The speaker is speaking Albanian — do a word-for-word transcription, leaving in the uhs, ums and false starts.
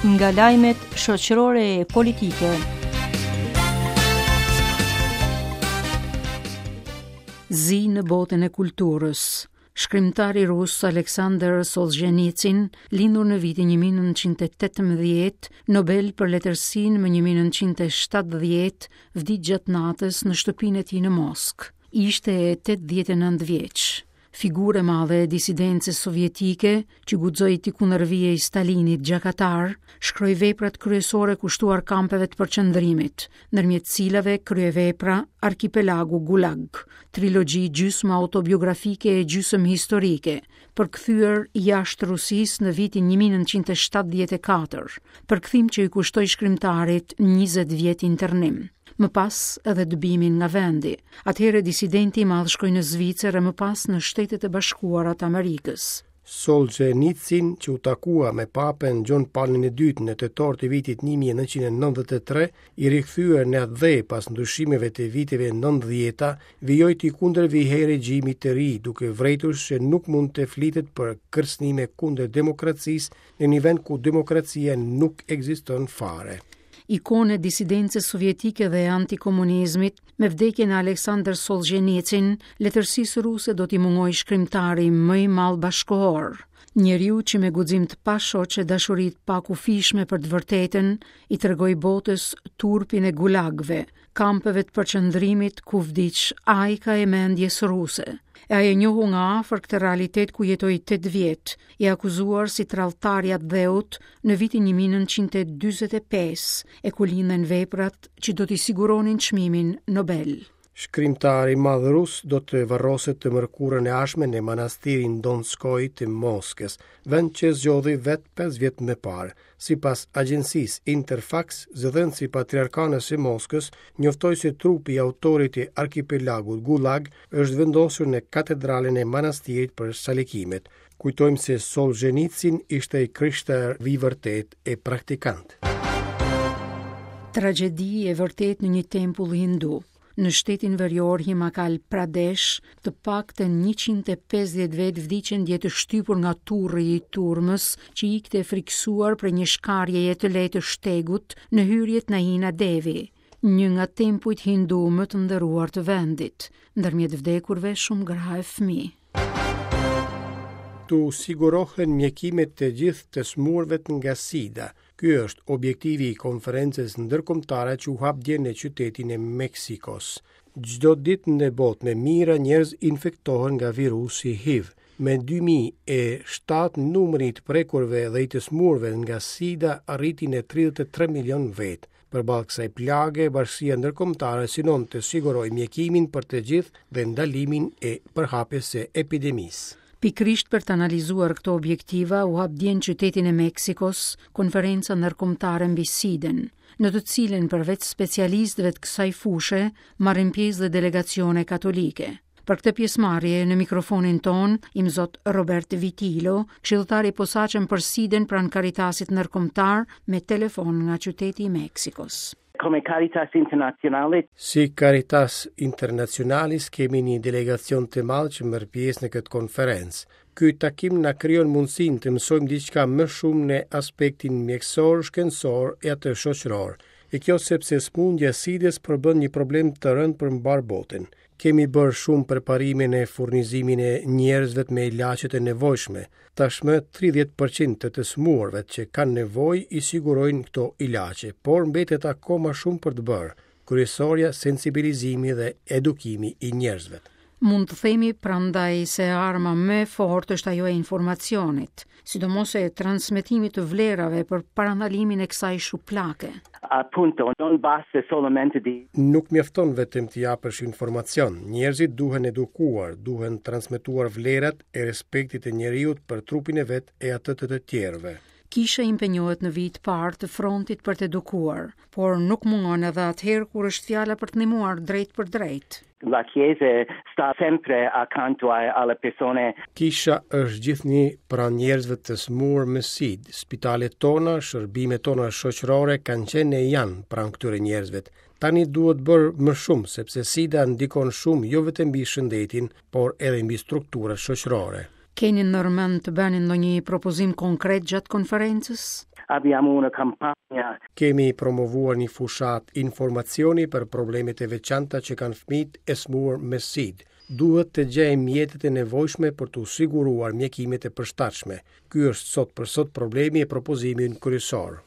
Nga lajmet shoqërore e politike. Zi në botën e kulturës. Shkrimtari rus Aleksandr Solzhenitsyn, lindur në vitin një mijë e nëntëqind e tetëmbëdhjetë, Nobel për letërsinë më një mijë e nëntëqind e shtatëdhjetë, vdiq gjatë natës në shtëpinë e tij në Moskë. Ishte tetëdhjetë e nëntë vjeç. Figurë e madhe e disidencës sovjetike që guxoi t'i kundërvihej Stalinit gjakatar, shkroi veprat kryesore kushtuar kampeve të përqendrimit, ndërmjet cilave kryevepra Arkipelagu Gulag, trilogji gjysmë autobiografike e gjysmë historike, përkthyer jashtë Rusisë në vitin një mijë e nëntëqind e shtatëdhjetë e katër, përkthim që i kushtoi shkrimtarit njëzet vjet internim. Më pas edhe dëbimin nga vendi. Atëherë disidenti i madh shkoi në Zvicër e më pas në Shtetet e Bashkuara të Amerikës. Solzhenitsyn, që u takua me Papën Gjon Palin e dytë në tetor të vitit një mijë e nëntëqind e nëntëdhjetë e tre, i rikthyer në atdhe pas ndryshimeve të viteve nëntëdhjeta, vijoi t'i kundërvihej regjimit të ri, duke vrejtur se nuk mund të flitet për kërcënime kundër demokracisë në një vend ku demokracia nuk ekziston fare. Ikone disidencës sovjetike dhe antikomunizmit, me vdekjen e Aleksandr Solzhenitsyn, letërsisë ruse do t'i mungojë shkrimtari më i madh bashkohor. Njeriu që me guxim të pashoq e dashuri të pakufishme për të vërtetën, i tregoi botës turpin e gulagëve, kampeve të përqendrimit ku vdiq ajka e mendjes ruse. E ai e njohu nga afër këtë realitet ku jetoi tetë vjet, i akuzuar si tradhtar i atdheut në vitin një mijë e nëntëqind e dyzet e pesë, e ku lindën veprat që do t'i siguronin çmimin Nobel. Shkrimtari i madh rus do të varroset të mërkurën e ardhshme në manastirin Donskoi të Moskës, vend që zgjodhi vet pesë vjet më parë. Sipas agjencisë Interfax, zëdhënësi i Patriarkanës së Moskës njoftoi se trupi i autorit të arkipelagut Gulag është vendosur në katedralen e manastirit për salikimet. Kujtojmë se Solzhenitsyn ishte i krishterë i vërtet e praktikant. Tragjedi e vërtet në një tempull hindu. Në shtetin verior Himachal Pradesh, të paktën njëqind e pesëdhjetë vetë vdiqën dje të shtypur nga turri i turmës që ikte e frikësuar prej një shkarjeje të lehtë të shtegut në hyrjet Naina Devi, një nga tempujt hindu më të nderuar të vendit, ndërmjet vdekurve shumë gra e fëmijë. Tu sigurohen mjekimet të gjithë të smurëve nga SIDA. Ky është objektivi i konferencës ndërkombëtare që u hap dje në qytetin e Meksikos. Çdo ditë në botë me mijëra njerëz infektohen nga virusi H I V. Me dy mijë e shtatë numri i të prekurve dhe i të smurëve nga SIDA arriti në tridhjetë e tre milion vetë. Përballë kësaj plage, bashkësia ndërkombëtare synon të sigurojë mjekimin për të gjithë dhe ndalimin e përhapjes së epidemisë. Pikërisht për të analizuar këto objektiva, u hap dje në qytetin e Meksikos konferenca ndërkombëtare mbi SIDA-n, në të cilën përveç specialistëve të kësaj fushe marrin pjesë dhe delegacione katolike. Për këtë pjesëmarrje në mikrofonin ton, imzot Robert Vitilo, këshilltar i posaçëm për SIDA-n pranë Caritasit ndërkombëtar, me telefon nga qyteti i Meksikos. Come Caritas Internationale. Si Caritas Internationalis kemi një delegacion të madh që merr pjesë në këtë konferencë. Ky takim na krijon mundësinë të mësojmë diçka më shumë në aspektin mjekësor, shkencor e atë shoqëror. E kjo sepse sëmundja e SIDA-s përbën një problem të rëndë për mbar botën. Kemi bërë shumë përparime në furnizimin e njerëzve me ilaçet e nevojshme. Tashmë tridhjetë përqind të të sëmurëve që kanë nevojë i sigurojnë këto ilaçe, por mbetet akoma shumë për të bërë. Kryesorja sensibilizimi dhe edukimi i njerëzve. Mund të themi prandaj se arma më e fortë është ajo e informacionit, sidomos e transmetimit të vlerave për parandalimin e kësaj shuplake. Appunto, non basta solamente di Nuk mjafton vetëm të japësh informacion. Njerëzit duhen edukuar, duhen transmetuar vlerat e respektit të njeriut për trupin e vet e atë të të tjerëve. Kisha impenjohet në vit parë të frontit për të edukuar, por nuk mungon edhe atëherë kur është fjala për të ndihmuar drejt për drejt. La Chiesa sta sempre accanto a-, alle persone. Kisha është gjithnjë pranë njerëzve të smur me SID. Spitalet tona, shërbimet tona shoqërore kanë qenë e janë pranë këtyre njerëzve. Tani duhet bërë më shumë, sepse SIDA ndikon shumë jo vetëm mbi shëndetin, por edhe mbi strukturat shoqërore. Keni ndërmend të bëni ndonjë propozim konkret gjatë konferencës? Abbiamo una campagna. Kemi promovuar një fushatë informacioni për problemet e veçanta që kanë fëmijët e sëmurë me SIDA. Duhet të gjejmë mjetet e nevojshme për të siguruar mjekimet e përshtatshme. Ky është sot për sot problemi e propozimi ynë kryesor.